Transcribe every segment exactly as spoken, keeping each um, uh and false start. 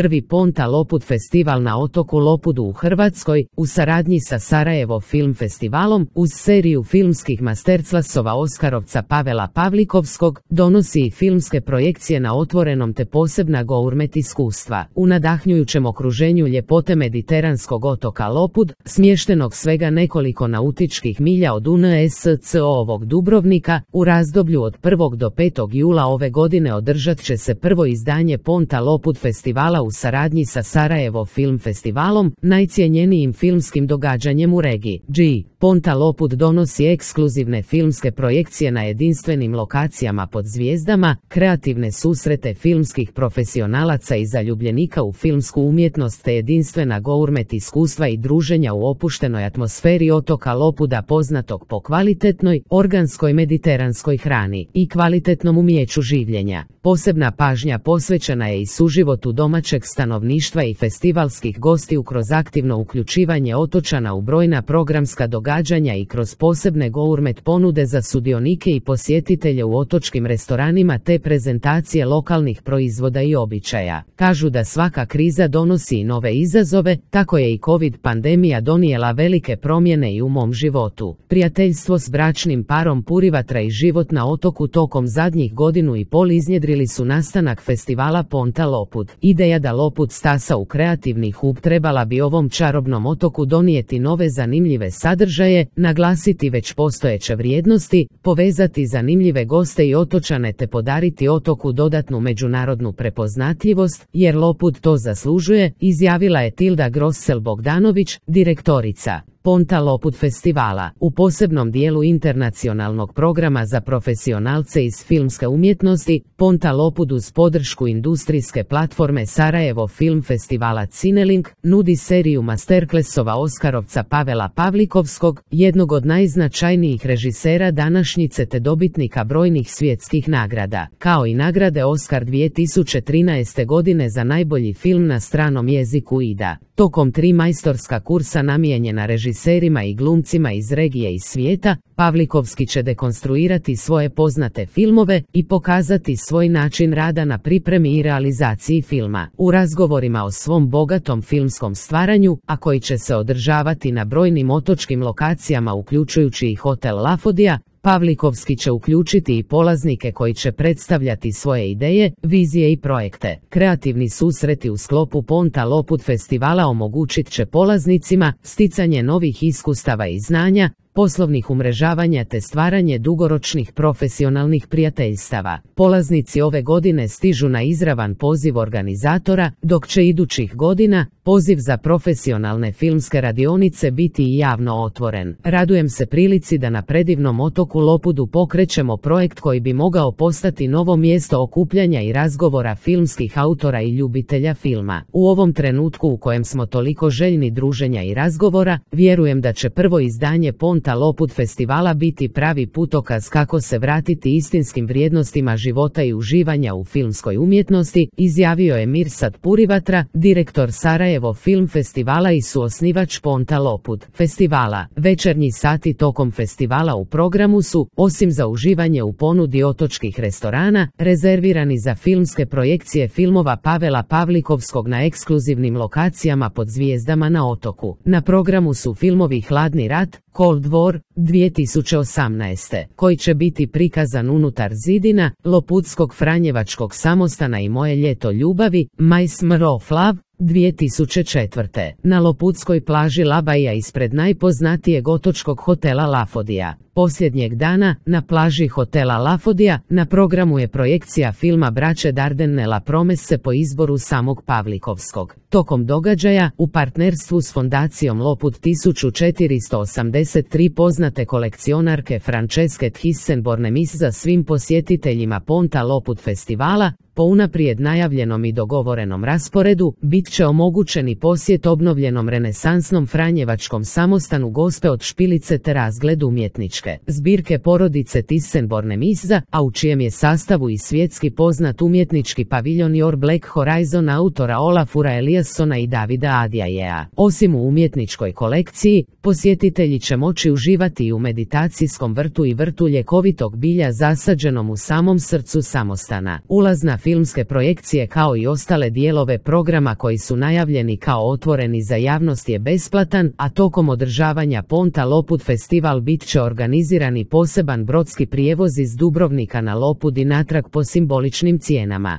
prvi Ponta Lopud festival na otoku Lopudu u Hrvatskoj, u saradnji sa Sarajevo Film Festivalom, uz seriju filmskih masterclassova Oskarovca Pavela Pavlikovskog, donosi i filmske projekcije na otvorenom te posebna gourmet iskustva. U nadahnjujućem okruženju ljepote mediteranskog otoka Lopud, smještenog svega nekoliko nautičkih milja od U N S C O-ovog Dubrovnika, u razdoblju od prvog do petog jula ove godine održat će se prvo izdanje Ponta Lopud festivala u saradnji sa Sarajevo Film Festivalom, najcjenjenijim filmskim događanjem u regiji. G. Ponta Lopud donosi ekskluzivne filmske projekcije na jedinstvenim lokacijama pod zvijezdama, kreativne susrete filmskih profesionalaca i zaljubljenika u filmsku umjetnost te jedinstvena gourmet iskustva i druženja u opuštenoj atmosferi otoka Lopuda poznatog po kvalitetnoj, organskoj mediteranskoj hrani i kvalitetnom umijeću življenja. Posebna pažnja posvećena je i suživotu domaćeg stanovništva i festivalskih gostiju kroz aktivno uključivanje otočana u brojna programska događanja i kroz posebne gourmet ponude za sudionike i posjetitelje u otočkim restoranima te prezentacije lokalnih proizvoda i običaja. Kažu da svaka kriza donosi i nove izazove, tako je i COVID pandemija donijela velike promjene i u mom životu. Prijateljstvo s bračnim parom Purivatra i život na otoku tokom zadnjih godinu i pol iznjedrili su nastanak festivala Ponta Lopud. Ideja da Lopud stasa u kreativni hub trebala bi ovom čarobnom otoku donijeti nove zanimljive sadržaje, naglasiti već postojeće vrijednosti, povezati zanimljive goste i otočane te podariti otoku dodatnu međunarodnu prepoznatljivost, jer Lopud to zaslužuje, izjavila je Tilda Grossel-Bogdanović, direktorica Ponta Lopud festivala. U posebnom dijelu internacionalnog programa za profesionalce iz filmske umjetnosti, Ponta Lopud uz podršku industrijske platforme Sarajevo Film Festivala Cinelink nudi seriju masterclassova Oskarovca Pavela Pavlikovskog, jednog od najznačajnijih režisera današnjice te dobitnika brojnih svjetskih nagrada, kao i nagrade Oskar dvije tisuće trinaeste godine za najbolji film na stranom jeziku I D A. Tokom tri majstorska kursa namijenjena režiserima i glumcima iz regije i svijeta, Pavlikovski će dekonstruirati svoje poznate filmove i pokazati svoj način rada na pripremi i realizaciji filma. U razgovorima o svom bogatom filmskom stvaranju, a koji će se održavati na brojnim otočkim lokacijama uključujući i hotel Lafodija, Pavlikovski će uključiti i polaznike koji će predstavljati svoje ideje, vizije i projekte. Kreativni susreti u sklopu Ponta Lopud festivala omogućit će polaznicima sticanje novih iskustava i znanja, poslovnih umrežavanja te stvaranje dugoročnih profesionalnih prijateljstava. Polaznici ove godine stižu na izravan poziv organizatora, dok će idućih godina poziv za profesionalne filmske radionice biti i javno otvoren. Radujem se prilici da na predivnom otoku Lopudu pokrećemo projekt koji bi mogao postati novo mjesto okupljanja i razgovora filmskih autora i ljubitelja filma. U ovom trenutku u kojem smo toliko željni druženja i razgovora, vjerujem da će prvo izdanje Ponta Lopud festivala biti pravi putokaz kako se vratiti istinskim vrijednostima života i uživanja u filmskoj umjetnosti, izjavio je Mirsad Purivatra, direktor Sarajevo Film Festivala i suosnivač Ponta Lopud festivala. Večernji sati tokom festivala u programu su, osim za uživanje u ponudi otočkih restorana, rezervirani za filmske projekcije filmova Pavela Pavlikovskog na ekskluzivnim lokacijama pod zvijezdama na otoku. Na programu su filmovi Hladni rat, Cold War, dvije tisuće osamnaeste, koji će biti prikazan unutar zidina, Lopudskog franjevačkog samostana i Moje ljeto ljubavi, My Summer of Love, dvije tisuće četvrte. Na Lopudskoj plaži Labaija ispred najpoznatijeg otočkog hotela Lafodija. Posljednjeg dana, na plaži hotela Lafodija, na programu je projekcija filma Braće Dardenne La Promesse po izboru samog Pavlikovskog. Tokom događaja, u partnerstvu s fondacijom Lopud tisuću četiristo osamdeset tri poznate kolekcionarke Franceske Thyssen-Bornemis za svim posjetiteljima Ponta Lopud festivala, po unaprijed najavljenom i dogovorenom rasporedu, bit će omogućeni posjet obnovljenom renesansnom franjevačkom samostanu Gospe od Špilice te razgled umjetničke umjetničke zbirke porodice Thyssen-Bornemisza, a u čijem je sastavu i svjetski poznat umjetnički paviljon Your Black Horizon autora Olafura Eliassona i Davida Adjaea. Osim u umjetničkoj kolekciji, posjetitelji će moći uživati i u meditacijskom vrtu i vrtu ljekovitog bilja zasađenom u samom srcu samostana. Ulaz na filmske projekcije kao i ostale dijelove programa koji su najavljeni kao otvoreni za javnost je besplatan, a tokom održavanja Ponta Lopud festival bit će organizirani poseban brodski prijevoz iz Dubrovnika na Lopud i natrag po simboličnim cijenama.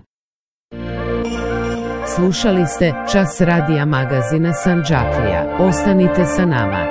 Slušali ste Čas radija magazina Sandžaklija. Ostanite sa nama.